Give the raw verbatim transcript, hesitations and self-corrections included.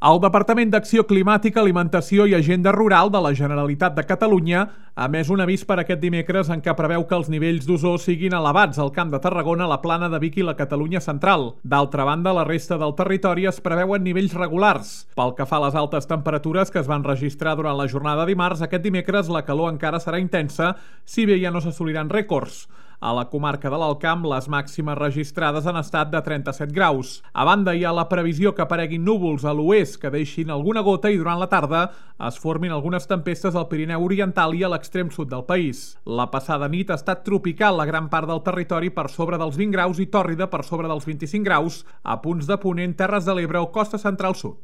El Departament d'Acció Climàtica, Alimentació i Agenda Rural de la Generalitat de Catalunya ha emès un avís per aquest dimecres en què preveu que els nivells d'ozó siguin elevats al Camp de Tarragona, la Plana de Vic i la Catalunya central. D'altra banda, a la resta del territori es preveuen nivells regulars. Pel que fa a les altes temperatures que es van registrar durant la jornada de dimarts, aquest dimecres la calor encara serà intensa, si bé ja no s'assoliran rècords. A la comarca de l'Alt Camp, les màximes registrades han estat de trenta-set graus. A banda, hi ha la previsió que apareguin núvols a l'oest que deixin alguna gota i durant la tarda es formin algunes tempestes al Pirineu Oriental i a l'extrem sud del país. La passada nit ha estat tropical a gran part del territori per sobre dels vint graus i tòrrida per sobre dels vint-i-cinc graus a punts de Ponent, Terres de l'Ebre o Costa Central Sud.